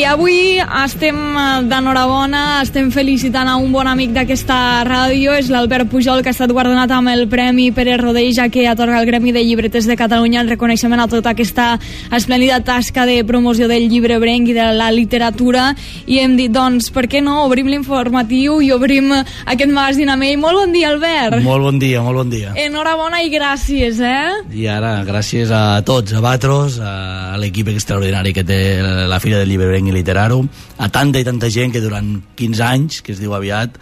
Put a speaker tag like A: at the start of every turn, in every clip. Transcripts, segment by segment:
A: avui estem d'enhorabona, estem felicitant a un bon amic d'aquesta ràdio, és l'Albert Pujol, que ha estat guardonat amb el Premi Pere Rodeja, que atorga el Gremi de Llibreters de Catalunya en reconeixement a tota aquesta esplèndida tasca de promoció del llibre brenc i de la literatura. I hem dit, doncs, per què no? Obrim l'informatiu i obrim aquest magazín amb ell. Molt bon dia, Albert.
B: Molt bon dia, molt bon dia.
A: Enhorabona i gràcies,
B: I ara, gràcies a tots, a Batros, a l'equip extraordinari que té la Fira del Llibre Brenc i Literaro, a tanta i tanta gent que durant 15 anys, que es diu aviat,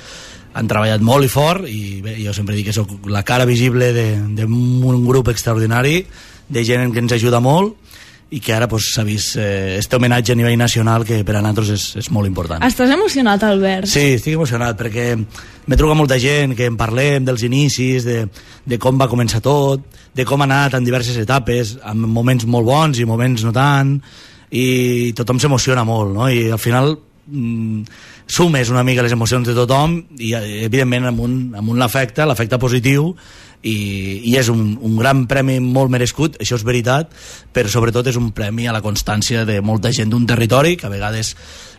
B: han treballat molt i fort, i bé, jo sempre dic que sóc la cara visible d'un grup extraordinari, de gent que ens ajuda molt, i que ara s'ha vist este homenatge a nivell nacional, que per a nosaltres és molt important.
A: Estàs emocionat, Albert?
B: Sí, estic emocionat, perquè m'he trucat molta gent, que en parlem dels inicis, de com va començar tot, de com ha anat en diverses etapes, amb moments molt bons i moments no tant, i tothom s'emociona molt, no? I al final sumes una mica les emocions de tothom i evidentment amb un l'afecte positiu, i és un gran premi molt merescut, això és veritat, però sobretot és un premi a la constància de molta gent d'un territori que a vegades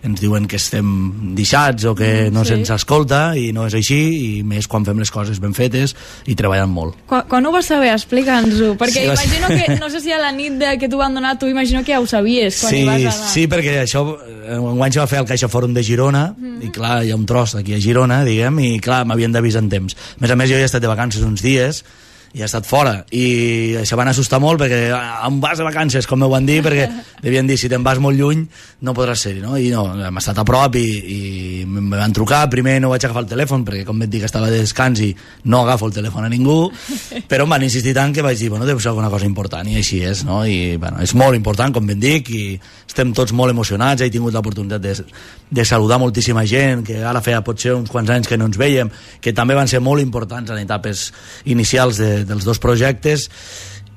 B: ens diuen que estem deixats o que no se'ns escolta, i no és així, i més quan fem les coses ben fetes i treballant molt.
A: Quan ho vas saber? Explica'ns-ho, perquè sí, imagino que, no sé si a la nit que t'ho van donar, tu imagino que ja ho sabies quan hi vas anar. Sí,
B: perquè això enguany se va fer al Caixa Fòrum de Girona, i clar, hi ha un tros aquí a Girona, diguem, i clar, m'havien d'avisar en temps. A més, jo he estat de vacances uns dies, i he estat fora, i això van assustar molt, perquè on vas de vacances, com m'ho van dir, perquè devien dir, si te'n vas molt lluny no podràs ser-hi, no? I no, hem estat a prop, i em van trucar. Primer no vaig agafar el telèfon, perquè com et dic, estava de descans i no agafo el telèfon a ningú, però em van insistir tant que vaig dir, bueno, deu ser alguna cosa important, i així és, no? I bueno, és molt important, com ben dic, i estem tots molt emocionats. He tingut l'oportunitat de saludar moltíssima gent, que ara feia potser uns quants anys que no ens veiem, que també van ser molt importants en etapes inicials dels dos projectes.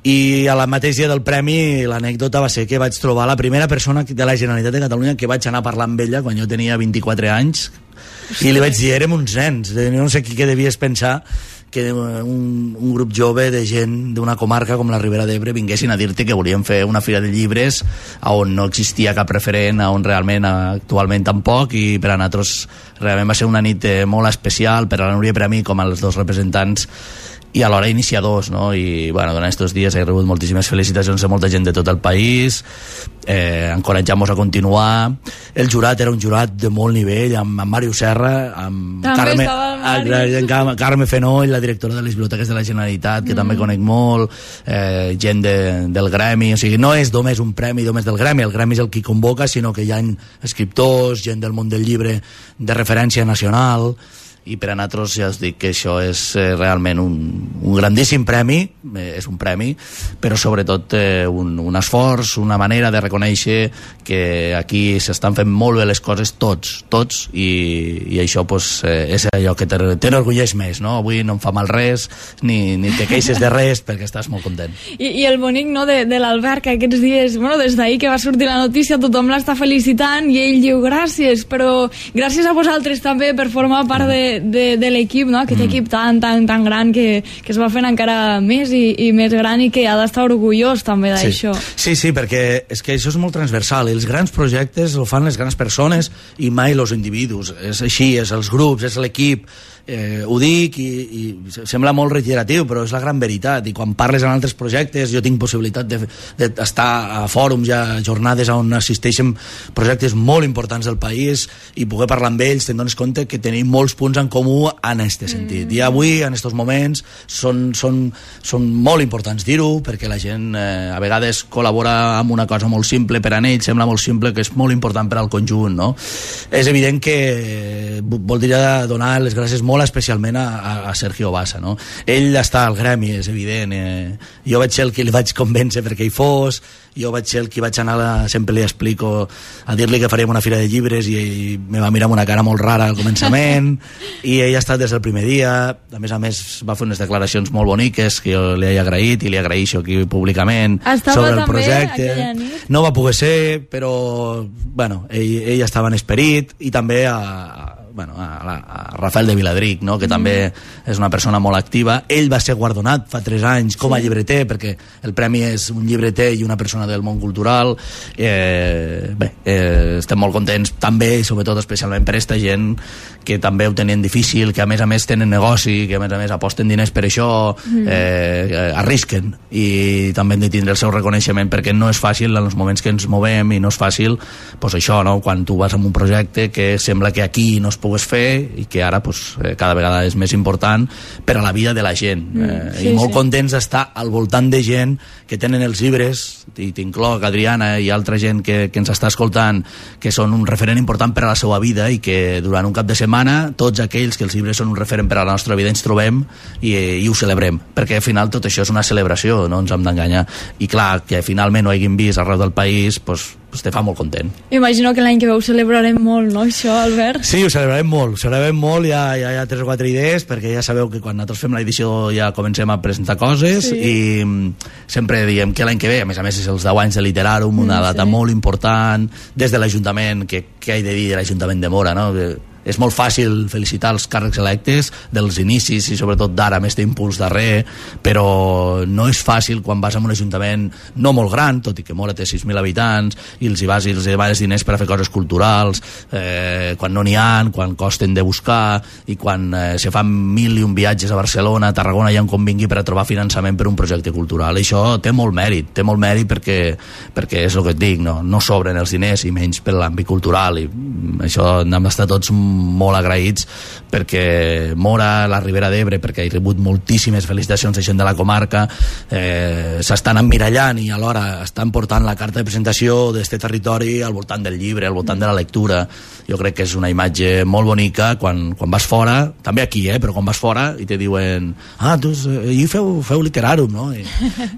B: I a la mateix dia del premi l'anècdota va ser que vaig trobar la primera persona de la Generalitat de Catalunya que vaig anar a parlar amb ella quan jo tenia 24 anys, i li vaig dir, érem uns nens, no sé què devies pensar que un grup jove de gent d'una comarca com la Ribera d'Ebre vinguessin a dir-te que volien fer una fira de llibres on no existia cap referent, on realment actualment tampoc, i per a nosaltres realment va ser una nit molt especial, per a la Núria i per a mi com als dos representants i alhora iniciadors, no? I bueno, durant aquests dies he rebut moltíssimes felicitacions de molta gent de tot el país, encoratjant-nos a continuar. El jurat era un jurat de molt nivell, amb Màrius Serra, amb Carme Fenoll, la directora de les biblioteques de la Generalitat, que també conec molt, gent del gremi. O sigui, no és només un premi només del gremi, el gremi és el qui convoca, sinó que hi ha escriptors, gent del món del llibre de referència nacional, i per a nosaltres ja us dic que això és realment un grandíssim premi, és un premi, però sobretot un esforç, una manera de reconèixer que aquí s'estan fent molt bé les coses tots, i això és allò que t'enorgulleix més, no? Avui no em fa mal res, ni te queixes de res, perquè estàs molt content.
A: I el bonic, no, de l'Albert, que aquests dies, bueno, des d'ahir que va sortir la notícia, tothom l'està felicitant, i ell diu gràcies, però gràcies a vosaltres també per formar part de l'equip, no? Aquest equip tan gran que es va fent encara més i més gran, i que ha d'estar orgullós també d'això.
B: Sí, perquè és que això és molt transversal, i els grans projectes ho fan les grans persones i mai els individus. És així, és els grups, és l'equip. Ho dic i sembla molt reiteratiu, però és la gran veritat. I quan parles en altres projectes, jo tinc possibilitat d'estar a fòrums, a jornades on assisteixen projectes molt importants del país, i poder parlar amb ells, te'n dones compte que tenim molts punts en comú en aquest sentit. I avui, en aquests moments, són molt importants dir-ho, perquè la gent a vegades col·labora amb una cosa molt simple, per a ells sembla molt simple, que és molt important per al conjunt, no? És evident que voldria donar les gràcies molt especialment a Sergio Bassa, no? Ell està al gremi, és evident, jo vaig ser el que li vaig convèncer perquè hi fos, jo vaig ser el que vaig anar, sempre li explico, a dir-li que faríem una fira de llibres, i ell me va mirar amb una cara molt rara al començament, i ell ha estat des del primer dia. A més va fer unes declaracions molt boniques que jo li he agraït, i li agraeixo aquí públicament sobre el projecte. No va poder ser, però bueno, ell estava en esperit, i també a Rafael de Viladric, no? Que també és una persona molt activa. Ell va ser guardonat fa 3 anys com a llibreter, perquè el premi és un llibreter i una persona del món cultural. Estem molt contents també, i sobretot especialment per aquesta gent que també ho tenen difícil, que a més tenen negoci, que a més aposten diners per això, arrisquen, i també hem de tindre el seu reconeixement, perquè no és fàcil en els moments que ens movem, i no és fàcil pues això, no? Quan tu vas amb un projecte que sembla que aquí no es pogués fer i que ara pues, cada vegada és més important per a la vida de la gent, i molt contents d'estar al voltant de gent que tenen els llibres, i t'incloc Adriana i altra gent que ens està escoltant, que són un referent important per a la seva vida, i que durant un cap de setmana tots aquells que els llibres són un referent per a la nostra vida ens trobem i ho celebrem, perquè al final tot això és una celebració, no ens hem d'enganyar, i clar, que finalment ho hagin vist arreu del país, pues te fa molt content.
A: Imagino que l'any que ve ho celebrarem molt, no, això, Albert? Sí,
B: ho celebrarem molt, hi ha 3 o 4 idees, perquè ja sabeu que quan nosaltres fem l'edició ja comencem a presentar coses, i sempre diem que l'any que ve, a més és els 10 anys de Literàrum, una data molt important, des de l'Ajuntament, que he de dir de l'Ajuntament de Móra, no? És molt fàcil felicitar els càrrecs electes dels inicis, i sobretot d'ara amb aquest impuls darrer, però no és fàcil quan vas a un ajuntament no molt gran, tot i que Móra té 6.000 habitants, i els demanes diners per a fer coses culturals, quan no n'hi ha, quan costen de buscar, i quan se fan 1.001 viatges a Barcelona, a Tarragona, ja on convingui per a trobar finançament per un projecte cultural. Això té molt mèrit perquè és el que et dic, no sobren els diners, i menys per l'àmbit cultural, i això hem d'estar tots molt agraïts, perquè Móra, la Ribera d'Ebre, perquè he rebut moltíssimes felicitacions de gent de la comarca, s'estan emmirallant i alhora estan portant la carta de presentació d'aquest territori al voltant del llibre, al voltant de la lectura. Jo crec que és una imatge molt bonica quan vas fora, també aquí, però quan vas fora i te diuen, feu Literàrum, no?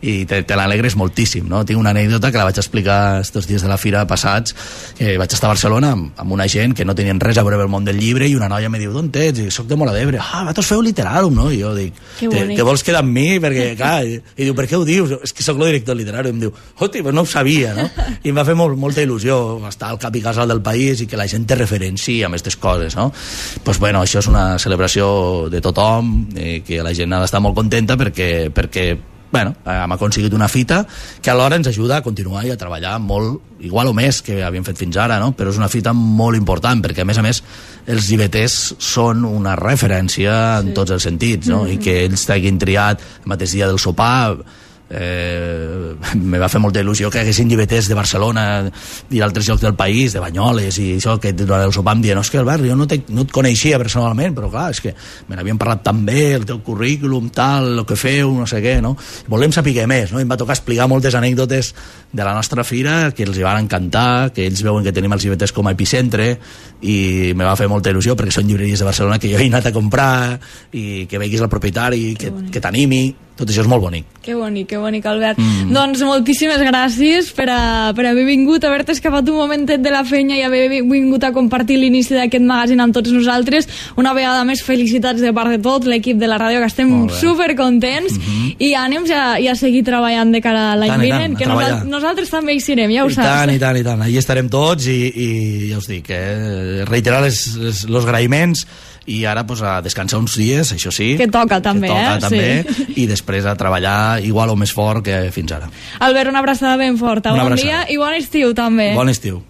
B: I te l'alegres moltíssim, no? Tinc una anècdota que la vaig explicar estos dies de la fira passats, que vaig estar a Barcelona amb una gent que no tenien res a veure amb el món del llibre, i una noia me diu, d'on ets? I soc de Móra d'Ebre. Vosaltres feu Literàrum, no? I jo dic, que vols quedar amb mi? Perquè, clar, i diu, per què ho dius? És que soc el director del Literàrum. I em diu, hosti, però no ho sabia, no? I em va fer molta il·lusió estar al cap i casal del país i que la gent te referencia amb aquestes coses, no? Doncs, bueno, això és una celebració de tothom, que la gent ha d'estar molt contenta perquè hem aconseguit una fita que alhora ens ajuda a continuar i a treballar molt, igual o més que havíem fet fins ara, no? Però és una fita molt important, perquè a més els llibreters són una referència en tots els sentits, no? I que ells t'hagin triat el mateix dia del sopar, me va fer molta il·lusió que haguessin llibreters de Barcelona i d'altres llocs del país, de Banyoles i això, que durant el sopar em diuen, que Albert, jo no et coneixia personalment, però clar, és que me n'havien parlat tan bé, el teu currículum, tal, el que feu, no sé què, no? Volem saber més, no? I em va tocar explicar moltes anècdotes de la nostra fira que els hi van encantar, que ells veuen que tenim els llibreters com a epicentre, i me va fer molta il·lusió perquè són llibreries de Barcelona que jo he anat a comprar, i que veguis el propietari, que t'animi. Tot això és molt bonic.
A: Que bonic, Albert. Doncs moltíssimes gràcies per haver vingut, haver-te escapat un momentet de la feina i haver vingut a compartir l'inici d'aquest magazín amb tots nosaltres. Una vegada més, felicitats de part de tot l'equip de la ràdio, que estem supercontents, i ànims a seguir treballant de cara a l'any vinent, que nosaltres també hi serem, ja ho saps.
B: I tant. Allí estarem tots, i ja us dic, reiterar els agraïments, i ara a descansar uns dies, això sí,
A: que toca també,
B: i després a treballar igual o més fort que fins ara.
A: Albert, una abraçada ben forta, bon dia i bon estiu també.
B: Bon estiu.